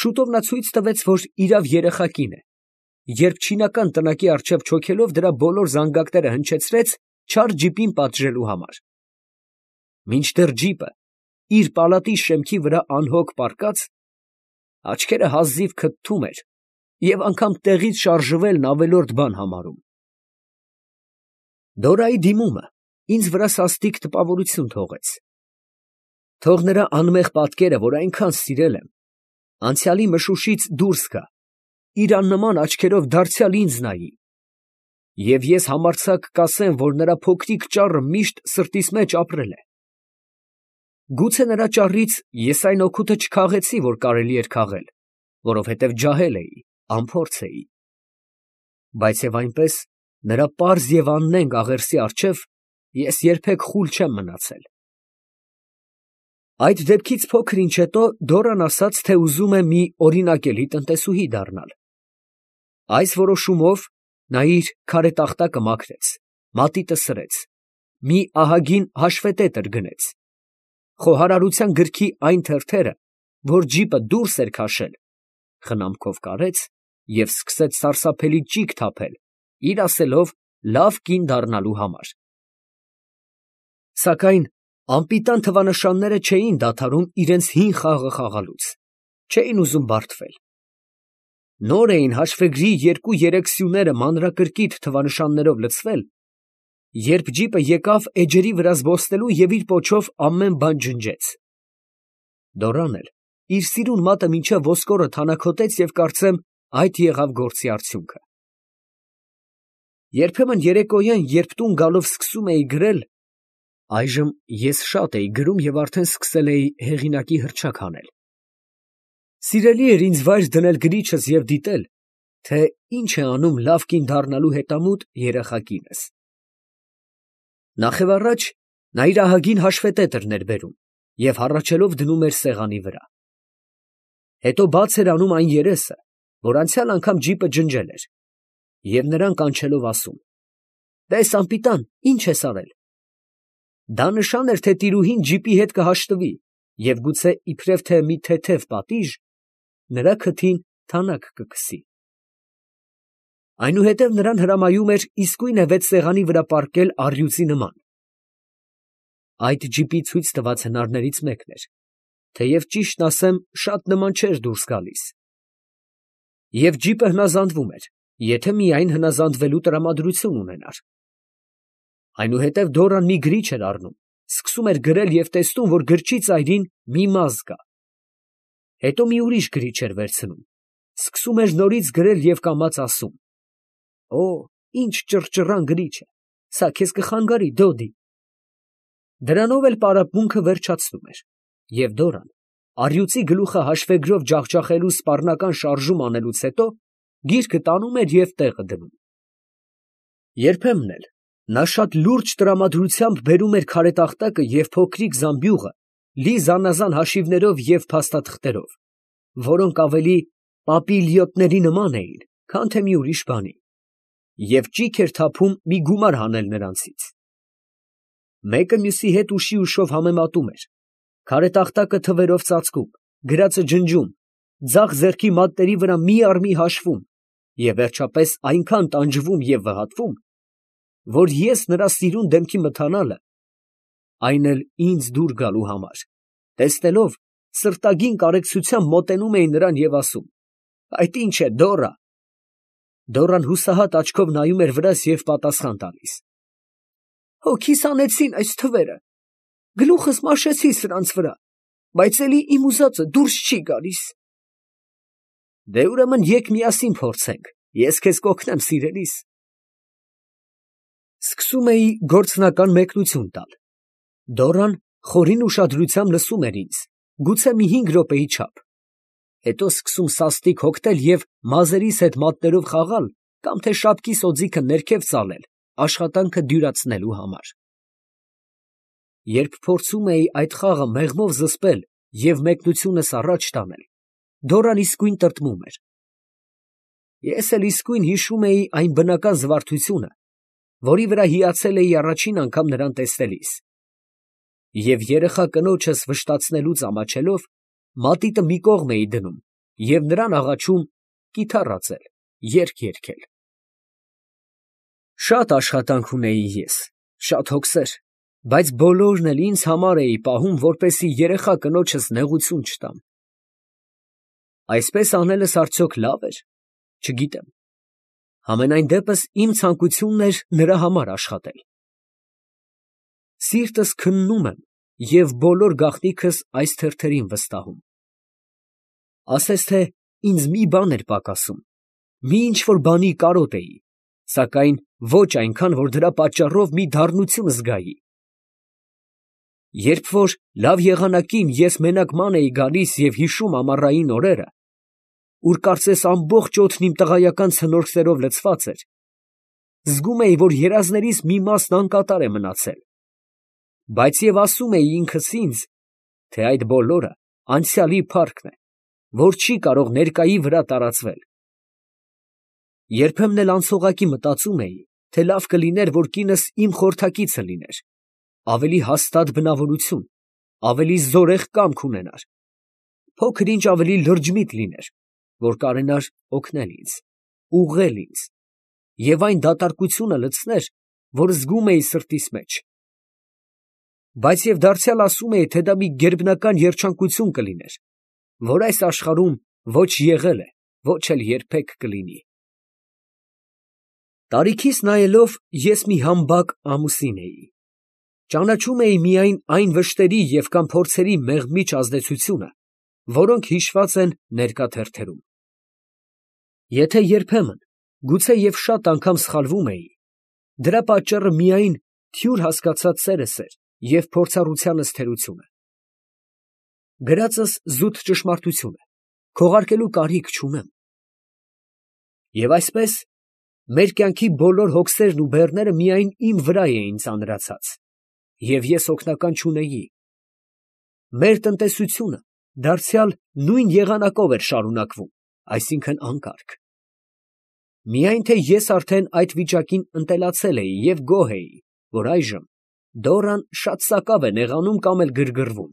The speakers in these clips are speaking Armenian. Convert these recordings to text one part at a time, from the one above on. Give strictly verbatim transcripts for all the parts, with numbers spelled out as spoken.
շուտով նա ցույց տվեց, որ իրավ երեխա կին է, երբ չինական տնակի առջև չոքելով դրա բոլոր զանգակները հնչեցրեց չար ջիպին պատժելու համար։ Մինչդեռ ջիպը իր պալատի շեմքի վրա անհոգ պառկած, աչքերը հազիվ քթթում էր և անգամ տեղից շարժվելն ավելորդ բան համարում։ Դորայի դիմումը ինձ վրա սաստիկ տպավորություն թողեց։ Թող նրա անմեղ պատկերը, որ այնքան սիրել եմ, անցյալի մշուշից դուրս գա, իր աննման աչքերով դարձյալ ինձ նայի, և ես համարձակ կասեմ, որ նրա փոքրիկ ճառը միշտ սրտիս մեջ ապրել է։ Գուցե նրա ճառից ես այն օգուտը չքաղեցի, որ կարելի էր քաղել, որովհետև ջահել էի, անփորձ էի, բայց և այնպես նրա պարզ և աննենգ աղերսի առջև ես երբեք խուլ չեմ մնացել։ Այդ դեպքից փոքր ինչ հետո Դորան ասաց, թե ուզում է մի օրինակելի տնտեսուհի դառնալ։ Այս որոշումով նա իր քարե տախտակը մաքրեց, մատիտը սրեց, մի ահագին հաշվետետր գնեց, խոհարարության գրքի այն թերթերը, որ ջիպը դուրս էր քաշել, խնամքով կարեց և սկսեց սարսափելի ճիգ թափել, իր ասելով, լավ կին դառնալու համար։ Սակայն անպիտան թվանշանները չէին դադարում իրենց հին խաղը խաղալուց, չէին ուզում բարդվել։ Նոր էին հաշվեգրի երկու֊երեք սյուները մանրակրկիտ թվանշաններով լցվել, երբ ջիպը եկավ էջերի վրա զբոսնելու և իր պոչով ամեն բան ջնջեց։ Դորան էլ իր սիրուն մատը մինչև ոսկորը թանաքոտեց և կարծեմ այդ եղավ գործի արդյունքը։ Երբեմն երեկոյան, երբ տուն գալով սկսում էի գրել, այժմ ես շատ էի գրում և արդեն սկսել էի հեղինակի հռչակ հանել, սիրելի էր ինձ վայր դնել գրիչս և դիտել, թե ինչ է անում լավ կին դառնալու հետամուտ երեխա կինս։ Նախևառաջ նա իր ահագին հաշվետետրն էր բերում և հառաչելով դնում էր սեղանի վրա։ Հետո բաց էր անում այն երեսը, որ անցյալ անգամ ջիպը ջնջել էր, և նրան կանչելով ասում. «Տես, անպիտան, ի՞նչ ես արել»։ Դա նշան էր, թե տիրուհին ջիպի հետ կհաշտվի և գուցե իբրև թե մի թեթև պատիժ նրա քթին թանաք կքսի։ Այնուհետև նրան հրամայում էր իսկույնևեթ սեղանի վրա պառկել առյուծի նման։ Այդ ջիպի ցույց տված հնարներից մեկն էր, թեև ճիշտն ասեմ, շատ նման չէր դուրս գալիս։ Եվ ջիպը հնազանդվում էր, եթե միայն հնազանդվելու տրամադրություն ունենար։ Այնուհետև Դորան մի գրիչ էր առնում, սկսում էր գրել և տեսնում, որ գրչի ծայրին մի մազ կա։ Հետո մի ուրիշ գրիչ էր վերցնում, սկսում էր նորից գրել և կամաց ասում. «Օ, ինչ ճռճռան գրիչ է, սա քեզ կխանգարի, դոդի»։ Դրանով էլ պարապմունքը վերջացնում էր, և Դորան, առյուծի գլուխը հաշվեգրով ջախջախելու սպառնական շարժում անելուց հետո, գիրքը տանում էր և տեղը դնում։ Երբեմն էլ նա շատ լուրջ տրամադրությամբ բերում էր քարե տախտակը և փոքրիկ զամբյուղը լի զանազան հաշիվներով և փաստաթղթերով, որոնք ավելի պապիլիոտների նման էին, քան թե մի ուրիշ բանի, և ճիգ էր թափում մի գումար հանել նրանցից։ Մեկը մյուսի հետ ուշի ուշով համեմատում էր, քարե տախտակը թվերով ծածկում, գրածը ջնջում, ձախ ձեռքի մատների վրա մի առ մի հաշվում և վերջապես այնքան տանջվում և վհատվում, որ ես նրա սիրուն դեմքի մթանալը, այն էլ ինձ դուր գալու համար, տեսնելով, սրտագին կարեկցությամբ մոտենում էի նրան և ասում. «Այդ ի՞նչ է, Դորա»։ Դորան հուսահատ աչքով նայում էր վրաս և պատասխան տալիս. «Հոգիս հանեցին այս թվերը, գլուխս մաշեցի սրանց վրա, բայց էլի իմ ուզածը դուրս չի գալիս»։ Դե ուրեմն եկ միասին փորձենք, ես քեզ կօգնեմ, սիրելիս։ Սկսում էի գործնական մեկնություն տալ։ Դորան խորին ուշադրությամբ լսում էր ինձ, գուցե մի հինգ րոպեի չափ, հետո սկսում սաստիկ հոգնել և մազերիս հետ մատներով խաղալ կամ թե շապկիս օձիքը ներքև ծալել աշխատանքը դյուրացնելու համար։ Երբ փորձում էի այդ խաղը մեղմով զսպել և մեկնությունս առաջ տանել, Դորան իսկույն տրտմում էր։ Ես էլ իսկույն հիշում էի այն բնական զվարթությունը, որի վրա հիացել էի առաջին անգամ նրան տեսնելիս, և երեխա կնոջս վշտացնելուց ամաչելով, մատիտը մի կողմ էի դնում և նրան աղաչում կիթառ ածել, երգ երգել։ Շատ աշխատանք ունեի ես, շատ հոգսեր, բայց բոլորն էլ ինձ համար էի պահում, որպեսզի երեխա կնոջս նեղություն չտամ։ Այսպես անելս արդյոք լավ էր, չգիտեմ, համենայն դեպս իմ ցանկությունն էր նրա համար աշխատել։ Սիրտս քննում եմ և բոլոր գաղտնիքս այս թերթերին վստահում։ Ասես թե ինձ մի բան էր պակասում, մի ինչ֊որ բանի կարոտ էի, սակայն ոչ այնքան, որ դրա պատճառով մի դառնություն զգայի։ Երբ որ լավ եղանակին ես մենակ ման էի գալիս և հիշում ամառային օրերը, ուր կարծես ամբողջ օդն իմ տղայական ցնորքներով լցված էր, զգում էի, որ երազներիս մի մասն անկատար է մնացել, բայց և ասում էի ինքս ինձ, թե այդ բոլորը անցյալի փառքն է, որ չի կարող ներկայի վրա տարածվել։ Երբեմն էլ անցողակի մտածում էի, թե լավ կլիներ, որ կինս իմ խորհրդակիցը լիներ, ավելի հաստատ բնավորություն, ավելի զորեղ կամք ունենար, փոքր ինչ ավելի լրջմիտ լիներ, որ կարենար օգնել ինձ, ուղղել ինձ, և այն դատարկությունը լցներ, որ զգում էի սրտիս մեջ։ Բայց և դարձյալ ասում էի, թե դա մի գերբնական երջանկություն կլիներ, որ այս աշխարհում ոչ եղել է, ոչ էլ երբեք կլինի։ Տարիքիս նայելով ես մի համբակ ամուսին էի, ճանաչում էի միայն այն վշտերի և կամ փորձերի մեղմիչ ազդեցությունը, որոնք հիշված են ներկա թերթերում։ Եթե երբեմն, գուցե և շատ անգամ սխալվում էի, դրա պատճառը միայն թյուր հասկացած սերս էր և փորձառությանս թերությունը։ Գրածս զուտ ճշմարտություն է, քողարկելու կարիք չունեմ։ Եվ այսպես, մեր կյանքի բոլոր հոգսերն ու բեռները միայն իմ վրա էին ծանրացած, և ես օգնական չունեի։ Մեր տնտեսությունը դարձյալ նույն եղանակով էր շարունակվում, այսինքն անկարգ։ Միայն թե ես արդեն այդ վիճակին ընտելացել էի և գոհ էի, որ այժմ Դորան շատ սակավ է նեղանում կամ էլ գրգռվում։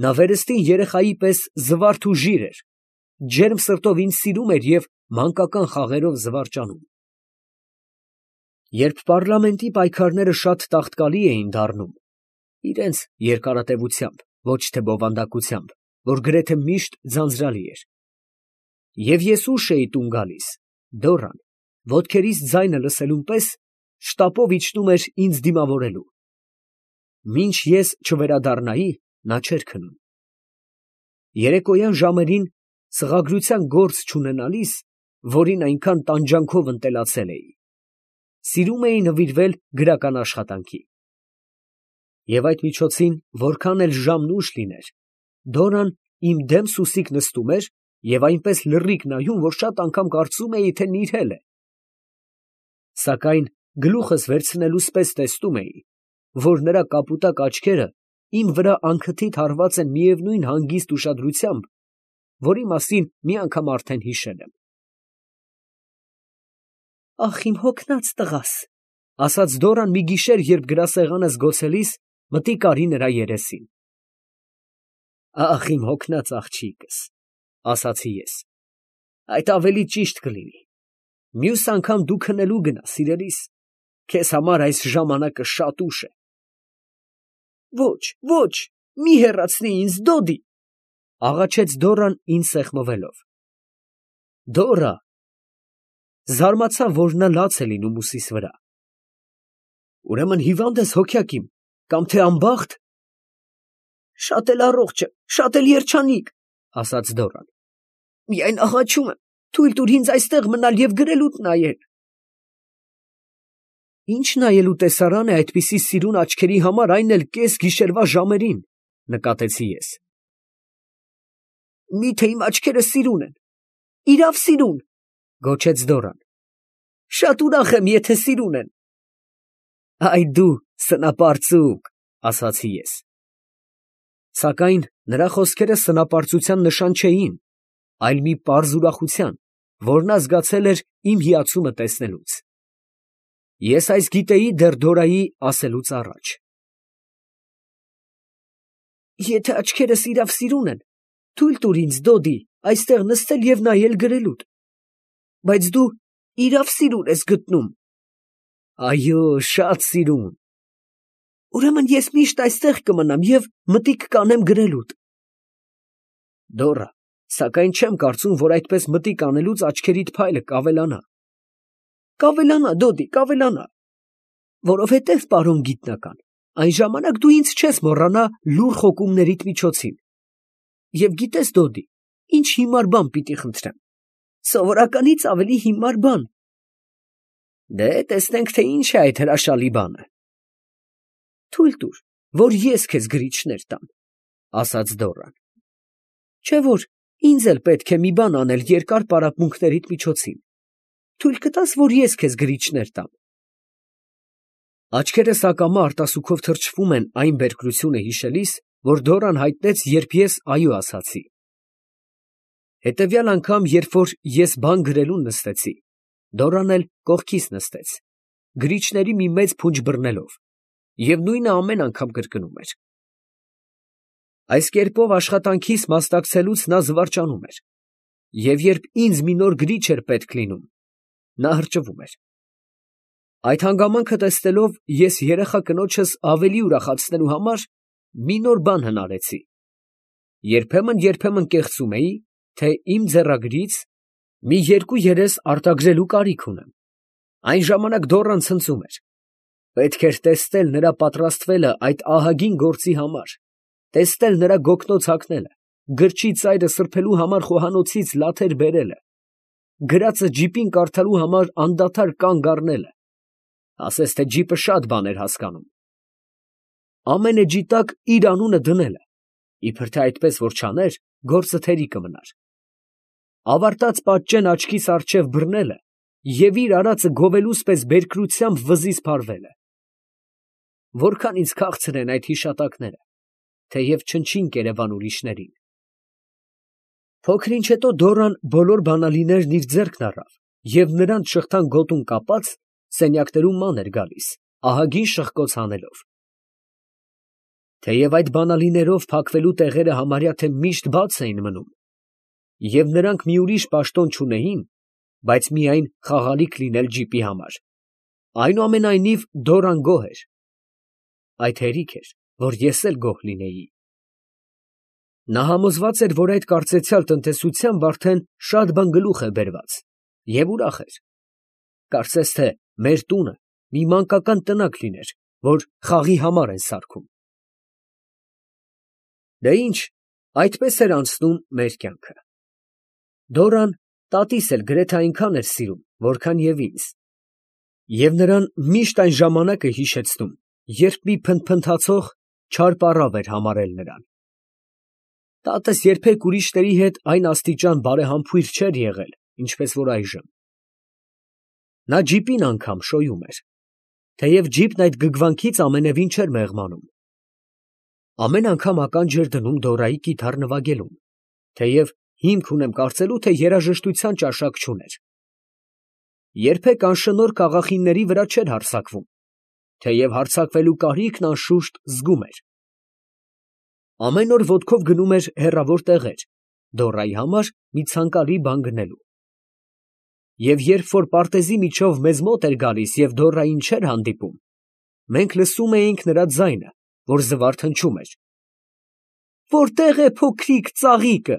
Նա վերստին երեխայի պես զվարթ ու ժիր էր, ջերմ սրտով ինձ սիրում էր և մանկական խաղերով զվարճանում։ Երբ պառլամենտի պայքարները շատ տաղտկալի էին դառնում, իրանց երկարատևությամբ, ոչ թե բովանդակությամբ, որ գրեթե միշտ ձանձրալի էր, և ես ուշ էի տուն գալիս, Դորան, ոտքերիս ձայնը լսելուն պես, շտապով իջնում էր ինձ դիմավորելու։ Մինչ ես չվերադառնայի, նա չէր քնում։ Երեկոյան ժամերին, սղագրության գործ չունենալիս, որին այնքան տանջանքով ընտելացել էի, սիրում էի նվիրվել գրական աշխատանքի։ Եվ այդ միջոցին, որքան էլ ժամն ուշ լիներ, Դորան իմ դեմ սուսիկ նստում էր և այնպես լռիկ նայում, որ շատ անգամ կարծում էի, թե նիրհել է։ Սակայն գլուխս վերցնելուս պես տեսնում էի, որ նրա կապուտակ աչքերը իմ վրա անքթիթ հառված են միևնույն հանգիստ ուշադրությամբ, որի մասին մի անգամ արդեն հիշել եմ։ «Ախ, իմ հոգնած տղաս», ֊ ասաց Դորան մի գիշեր, երբ գրասեղանս գոցելիս մտիկ արի նրա երեսին։ «Ախ, իմ հոգնած աղջիկս», ֊ ասացի ես, ֊ այդ ավելի ճիշտ կլինի։ Մյուս անգամ դու քնելու գնա, սիրելիս, քեզ համար այս ժամանակը շատ ուշ է։ Ոչ, ոչ, մի հեռացնի ինձ, Դոդի, ֊ աղաչեց Դորան ինձ սեղմվելով։ Դորա… Զարմացա, որ նա լաց է լինում ուսիս վրա։ Ուրեմն հիվա՞նդ ես, հոգյակ իմ, կամ թե անբախտ։ Շատ էլ առողջ եմ, շատ էլ երջանիկ, ֊ ասաց Դորան։ Միայն աղաչում եմ, թույլ տուր ինձ այստեղ մնալ և գրելուտ նայել։ Ի՞նչ նայելու տեսարան է այդպիսի սիրուն աչքերի համար, այն էլ կես գիշերվա ժամերին, ֊ նկատեցի ես։ Մի՞թե իմ աչքերը սիրուն են, իրավ սիրուն, ֊ գոչեց Դորան։ Շատ ուրախ եմ, եթե սիրուն են։ Այ դու սնապարծուկ, ֊ ասացի ես։ Սակայն նրա խոսքերը սնապարծության նշան չէին, այլ մի պարզ ուրախության, որ նա զգացել էր իմ հիացումը տեսնելուց։ Ես այս գիտեի դեռ Դորայի ասելուց առաջ։ Եթե աչքերս իրավ սիրուն են, Թույլ տուր ինձ, Դոդի, այստեղ նստել և նայել գրելուդ։ Բայց դու իրավ սիրուն ես գտնում։ Այո, շատ սիրուն։ Ուրեմն ես միշտ այստեղ կմնամ և մտիկ կանեմ գրելուդ։ Դոռա, սակայն չեմ կարծում, որ այդպես մտիկ անելուց աչքերիդ փայլը կավելանա։ Կավելանա, Դոդի, կավելանա։ Որովհետև, պարոն գիտնական, այն ժամանակ դու ինձ չես մոռանա լուռ խոկումներիդ միջոցին։ Եվ գիտես, Դոդի, ինչ հիմար բան պիտի խնդրեմ։ Սովորականից ավելի հիմար բան։ Դե, տեսնենք, թե ինչ է այդ հրաշալի բանը։ Թույլ տուր, որ ես քեզ գրիչներ տամ, ասաց Դոռան։ Չէ՞ որ ինձ էլ պետք է մի բան անել երկար պարապմունքներիդ միջոցին։ Թույլ կտա՞ս, որ ես քեզ գրիչներ տամ։ Աչքերս ակամա արտասուքով թրջվում են այն բերկրությունը հիշելիս, որ Դոռան հայտնեց, երբ ես այո ասացի։ Հետևյալ անգամ, երբ որ ես բան գրելուն նստեցի, Դոռան էլ կողքիս նստեց, գրիչների մի մեծ փունջ բռնելով, և նույնը ամեն անգամ կրկնում էր։ Այս կերպով աշխատանքիս մասնակցելուց նա զվարճանում էր, և երբ ինձ մի նոր գրիչ էր պետք լինում, նա հրճվում էր։ Այդ հանգամանքը տեսնելով, ես երեխա կնոջս ավելի ուրախացնելու համար մի նոր բան հնարեցի. երբեմն֊երբեմն կեղծում էի, թե իմ ձեռագրից մի երկու երես արտագրելու կարիք ունեմ։ Այն ժամանակ Դոռան ցնծում էր. պետք էր տեսնել նրա պատրաստվելը այդ ահագին գործի համար, տեսնել նրա գոգնոց հագնելը, գրչի ծայրը սրբելու համար խոհանոցից լաթեր բերելը, գրածը ջիպին կարդալու համար անդադար կանգ առնելը, ասես թե ջիպը շատ բան էր հասկանում, ամեն էջի տակ իր անունը դնելը, իբր թե այդպես որ չաներ, գործը թերի կմնար, ավարտած պատճեն աչքիս առջև բռնելը և իր արածը գովելուց պես բերկրությամբ վզից փարվելը։ Որքան ինձ քաղցր են այդ հիշատակները, թեև չնչին կերևան ուրիշներին։ Փոքր ինչ հետո Դոռան բոլոր բանալիներն իր ձեռքն առավ և նրանց շղթան գոտուն կապած սենյակներում ման էր գալիս, ահագին շղկոց հանելով։ Թեև այդ բանալիներով փակվելու տեղերը համարյա թե միշտ բաց էին մնում, և նրանք մի ուրիշ պաշտոն չունեին, բայց միայն խաղալիք լինել ջիպի համար, այնուամենայնիվ Դոռան գոհ էր։ Այդ հերիք էր, որ ես էլ գոհ լինեի։ Նա համոզված էր, որ այդ կարծեցյալ տնտեսությամբ արդեն շատ բան գլուխ է բերված, և ուրախ էր։ Կարծես թե մեր տունը մի մանկական տնակ լիներ, որ խաղի համար են սարքում։ Դե ինչ, այդպես էր անցնում մեր կյանքը։ Դոռան տատիս էլ գրեթե այնքան էր սիրում, որքան և ինձ, և նրան միշտ այն ժամանակը հիշեցնում, երբ մի փնթփնթացող չար պառավ էր համարել նրան։ Տատս երբեք ուրիշների հետ այն աստիճան բարեհամբույր չէր եղել, ինչպես որ այժմ։ Նա ջիպին անգամ շոյում էր, թեև ջիպն այդ գգվանքից ամենևին չէր մեղմանում։ Ամեն անգամ ականջ էր դնում Դոռայի կիթառ նվագելուն, թեև հիմք ունեմ կարծելու, թե երաժշտության ճաշակ չուներ։ Երբեք անշնորհ կաղախինների վրա չէր հարձակվում, թեև հարձակվելու կարիքն անշուշտ զգում էր։ Ամեն օր ոտքով գնում էր հեռավոր տեղեր, Դոռայի համար մի ցանկալի բան գնելու։ Եվ երբ որ պարտեզի միջով մեզ մոտ էր գալիս և Դոռային չէր հանդիպում, մենք լսում էինք նրա ձայնը, որ զվարթ հնչում էր. «Որտե՞ղ է փոքրիկ ծաղիկը»։